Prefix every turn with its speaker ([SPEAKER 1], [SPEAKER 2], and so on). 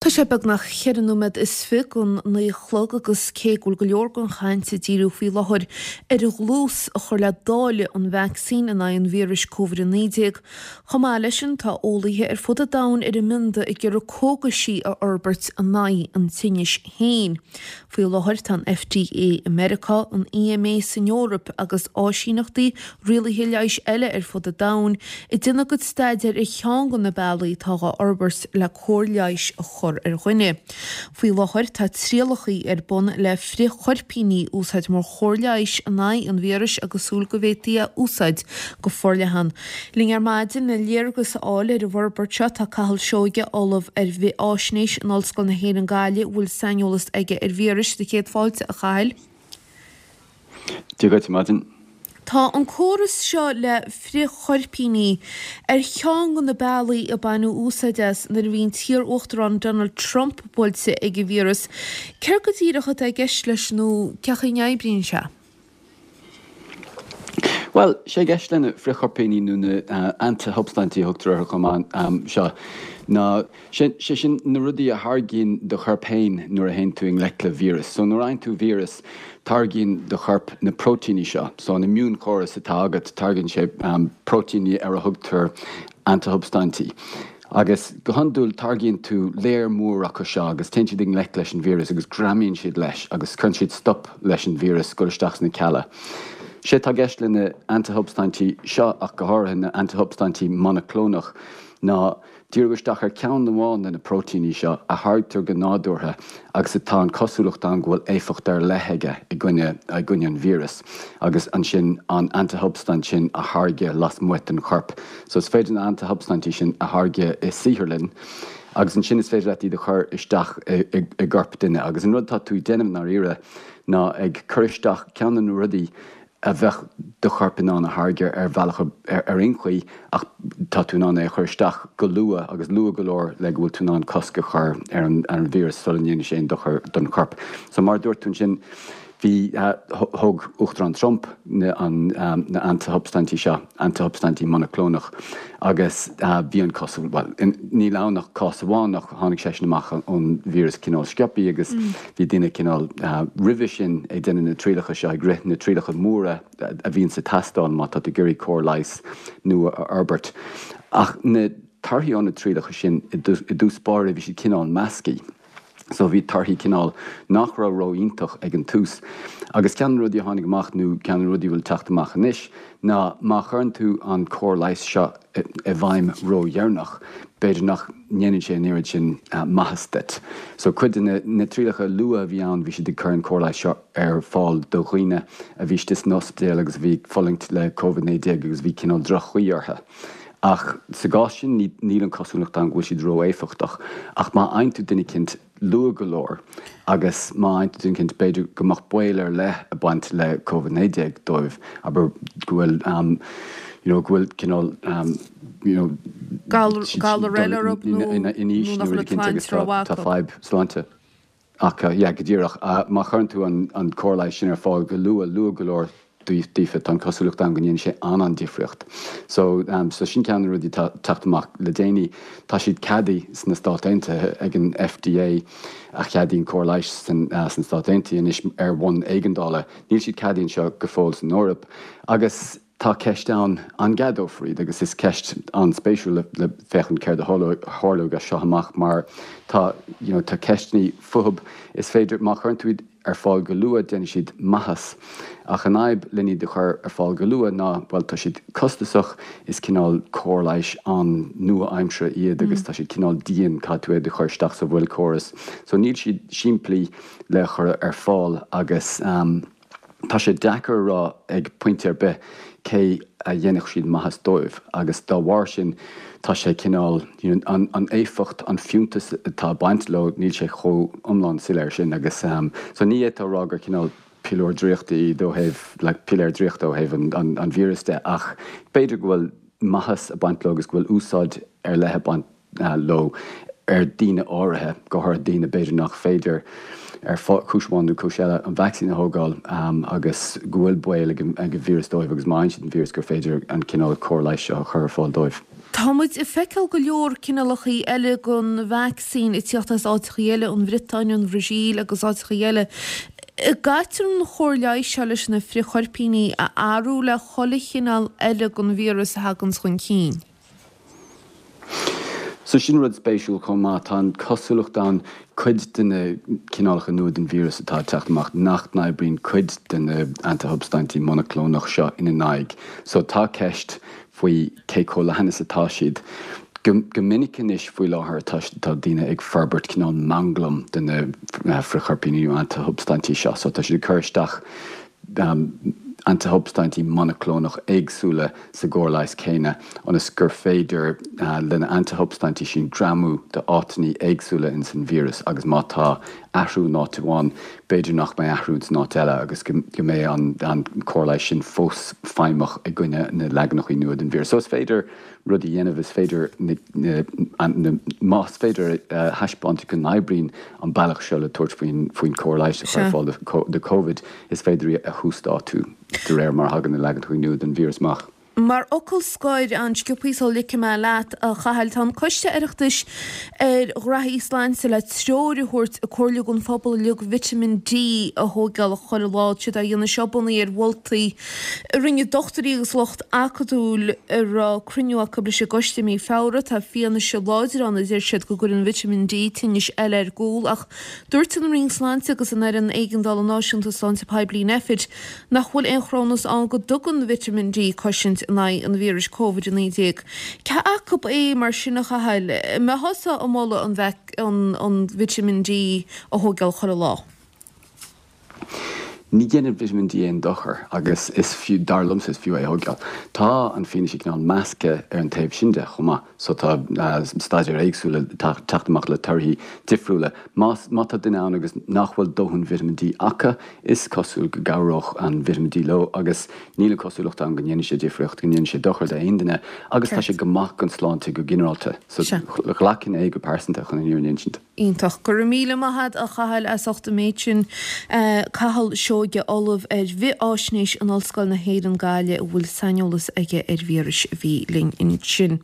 [SPEAKER 1] Tá sé beagnach cheithre nóiméad is fi gon naoi a chlog agus cé go bhfuil go leor den chaint ag díriú faoi láthair ar dhlús a chur le dáileadh an vacsaín in aghaidh an víris Covid-19, chomh maith leis sin tá eolaithe ar fud an domhain ar a mbionda ag iarraidh cógaisí a fhorbairt in aghaidh an tinnis féin. Faoi láthair tá an FDA i Meiriceá, an EMA san Eoraip agus áisíneachtaí rialaithe leighis eile ar fud an domhain ag déanamh a gcuid staidéir ar cheann de na bealaí atá dhá fhorbairt le cóir leighis a chur ar dhuine. Faoi láthair tá trialacha ar bun le frithchoirpíní a úsáid mar chóir leighis in aghaidh an víris agus súil go bhféadfaí é a úsáid go forleathan. Linn ar maidin le léargas a fháil ar an bhforbairt seo tá Cathal Seoige, Ollamh ar Bhitháisnéis in Ollscoil na hÉireann Gaillimh, a bhfuil saineolas aige ar víris. Do chéad fáilte, a Chathail.
[SPEAKER 2] Dia dhuit, ar maidin.
[SPEAKER 1] Tá an córas seo le frithchoirpíní ar cheann de na bealaí a baineadh úsáid as nuair a bhí an t-iar-uachtarán Donald Trump buailte ag an víreas. Céard go díreach atá i gceist leis nó cén chaoi a n-oibríonn sé?
[SPEAKER 2] Bhuel, sé i gceist le na frithchoirpíní nó na antashubstaintí a thugtar orthu chomh maith seo ná, sé sin na rudaí a tháirgíonn do chorp féin nuair a théann tú i ngleic le víreas. So nuair a fhaigheann tú víreas, táirgíonn do chorp na próitíní seo. So an imúnchóras atá agat, táirgeann sé próitíní ar a thugtar antashubstaintí. Agus go hiondúil táirgíonn tú léar mór acu seo agus téann siad i ngleic leis an víreas agus greamaíonn siad leis agus cuireann siad stop leis an víreas dul isteach sna cealla. Sé atá i gceist le na antashubstaintí seo ach go háirithe na antashubstaintí monaclónach ná díriú isteach ar ceann amháin de na próitíní seo a tháirgtear go nádúrtha agus atá an cosúlacht ann go bhfuil éifeacht ar leith aige i gcoinne i gcoinne an víreas agus ansin an antashubstaint sin a tháirgeadh lasmuigh den chorp. So is féidir na antashubstaintí sin a tháirgeadh i saotharlann agus ansin is féidir leat iad a chur isteach i gcorp duine agus an rud atá tú ag déanamh i ndáiríre ná ag cur isteach ceann de na rudaí a bheadh do chorp in ann a tháirgeadh ar bhealach ar aon chaoi ach tá tú in ann é a chur isteach go luath agus luath go leor le go bhfuil tú in ann cosc a chur ar an ar an víreas sula ndéanann sé aon dochar don chorp. So mar a dúirt tú ansin, bhí, thóg Uachtarán Trump na an na antashubstaintí seo, antashubstaintí monaclónach agus bhí an cosúil, bhuel, níl ann ach cás amháin ach tháinig seisean amach ón víreas cineál sciobthaí agus Bhí daoine cineál roimhe sin ag déanamh na trialacha seo, ag rith na trialacha móra a bhíonns ag teastáil má tá tú ag iarraidh cóir leighis nua a fhorbairt. Ach na torthaí ó na trialacha sin i dtús báire bhí siad cineál measctha. So bhí torthaí cineál nach raibh ró-iontach ag an tús. Agus ceann de na rudaí a tháinig amach nó ceann de na rudaí a bhfuil ag teacht amach anois ná má chuireann tú an cóir leighis seo i bhfeidhm ródheireanach, b'fhéidir nach ndéanann sé an oiread sin maitheas duit. So cuid de na trialacha luath a bhí ann, bhí siad ag cur an cóir leighis seo ar fáil do dhaoine a bhí istigh san ospidéal agus a bhí ag fulaingt le Covid-19 agus bhí cineál droch-chaoi orthu. Ach sa gcás sin, níl an cosúlacht ann go bhfuil siad ró-éifeachtach. Ach má fhaigheann tú duine eicínt, luath go leor agus má fhaigheann tú duine eicínt b'fhéidir go mbeadh baol ar leith ag baint le Covid-19 dóibh, abair go bhfuil you know go bhfuil cineál you know
[SPEAKER 1] Galar eile orthu nó
[SPEAKER 2] in aois
[SPEAKER 1] nó
[SPEAKER 2] nó
[SPEAKER 1] nach
[SPEAKER 2] rud
[SPEAKER 1] bhfuil
[SPEAKER 2] eicínt agus
[SPEAKER 1] sláinte rómhaith
[SPEAKER 2] tá
[SPEAKER 1] acu.
[SPEAKER 2] fadhb sláinte acu. Yeah, go díreach. Má chuireann tú an cóir leighis sin ar fáil go luath, luath go leor, daofa, tá an cosúlacht ann go ndéanann sé an-an-difríocht. So, so sin ceann de na rudaí atá ag teacht amach le déanaí. Tá siad ceadaithe sna Stáit Aontaithe ag an FDA a cheadaíonn cóir leighis san, sna Stáit Aontaithe anois ar bhonn éigeandála. Níl siad ceadaithe anseo go fóill san Eoraip agus tá ceist ann an gceadófar iad agus is ceist an-spéisiúil le, le féachaint céard a tharlóidh as seo amach mar tá, you know, tá ceisteanna fúthu. Is féidir, má chuireann tú iad ar fáil go luath, déanfaidh siad maitheas. Ach an fhadhb len iad a chur ar fáil go luath ná, bhuel, tá siad costasach, is cineál cóir leighis an-nua-aimseartha iad agus tá siad cineál dian, caithfidh tú iad a chur isteach sa bhfuilchóras. So níl siad simplí le chur ar fáil agus tá sé deacair a rá ag pointe ar bith cé a dhéanfadh siad maitheas dóibh agus dá bharr sin tá sé cineál, you know, an, an éifeacht, an fiúntas atá ag baint leo, níl sé chomh iomlán soiléir sin agus so ní fhéadfá a rá gur cineál piliúr draíochta iad ó thaobh, like piléar draíochta ó thaobh an, an, an víreas de ach b'fhéidir go bhfuil maitheas ag baint leo agus go bhfuil úsáid ar leith ag baint leo ar daoine áirithe, go háirithe daoine b'fhéidir nach féidir, ar chúis amháin nó cúis eile, an vacsaín a thógáil agus go bhfuil baol ag an víreas dóibh agus má fhaigheann siad an víreas gur féidir an cineál cóir leighis seo a chur ar fáil dóibh.
[SPEAKER 1] Tá muid ag feiceáil go leor cineálacha eile den vacsaín ag tíocht as áiteachaí eile, an Bhriotáin, an Bhrasaíl agus áiteachaí eile. An gcaitear an chóir leighis seo leis na frithchoirpíní a athrú le chuile chineál eile den víreas a thaganns chun cinn?
[SPEAKER 2] So sin rud spéisiúil chomh maith. Tá an cosúlacht ann cuid de na cineálacha nua den víreas atá ag teacht amach nach n-oibríonn cuid de na antashubstaintí monaclónach seo ina n-aghaidh. So tá ceist faoi cé chomh leathan is atá siad. Go minic anois faoi láthair tá tá daoine ag forbairt cineál manglam de na frithchoirpíní nó antashubstaintí seo. So tá siad ag cur isteach antashubstaintí monaclónach éagsúla sa gcóir leighis céanna ionas gur féidir le na antashubstaintí sin greamú d'áiteanna éagsúla ins an víreas agus má tá athrú in áit amháin b'fhéidir nach mbeidh athrú ins an áit eile agus go mbeidh an cóir leighis sin fós feidhmeach i gcoinne na leaganacha nua den víreas. So is féidir rud a dhéanamh, is féidir na, más féidir a thaispeáint go n-oibríonn an bealach seo le tabhairt faoin cóir leighis a chur ar fáil do Covid, is féidir í a huasdátú de réir mar a thagann na leaganacha nua den víreas amach.
[SPEAKER 1] Mar fhocal scoir, an-sciobtha sula ligfidh mé leat, a Chathail, tá an Coiste Oireachtais ar Ghraithí Sláinte le treoir a thabhairt ag comhairliú don phobal uilig Vitamin D a thóigeáil chuile lá. Tá siad á dhéanamh seo bunaithe ar mholtaí a rinne dochtúirí agus lucht acadúil a raibh cruinniú acu leis an gcoiste i mí Feabhra. Tá fianaise láidir ann, a deir siad, go gcuireann Vitamin D tinnis eile ar gcúl ach dúirt an Roinn Sláinte agus an Fhoireann Éigeandála Náisiúnta Sláinte Poiblí, Nphet, nach bhfuil aon chruthúnas ann go dtugann Vitamin D cosaint in aghaidh an víris Covid-19. Cé acu é mar sin, a Chathail, an mbeifeása ag moladh an Vitamin D a thóigeáil chuile lá?
[SPEAKER 2] Ní dhéanann Vitamin D aon dochar agus is fiú, dar liomsa, is fiú é a thóigeáil. Tá an fianaise cineál measctha ar an taobh sin de chomh maith. So tá staidéir éagsúla ag teacht amach le torthaí difriúla. Más, má tá duine ann agus nach bhfuil dóthain Vitamin D acu, is cosúil go gcabhródh an Vitamin D leo agus níl an cosúlacht ann go ndéanfaidh sé difríocht, go ndéanfaidh sé dochar d'aon duine agus tá sé
[SPEAKER 1] Ceart.
[SPEAKER 2] go maith don tsláinte go ginearálta. So
[SPEAKER 1] Sea.
[SPEAKER 2] ghlacfainn é go pearsanta chun an fhírinne a insint.
[SPEAKER 1] Iontach. Go raibh míle maith agat a Chathail as ucht an méid sin. Cathal Seoige, Ollamh ar Bhithfháisnéis in Ollscoil na hÉireann Gaillimh a bhfuil saineolas aige ar víris a bhí linn ansin.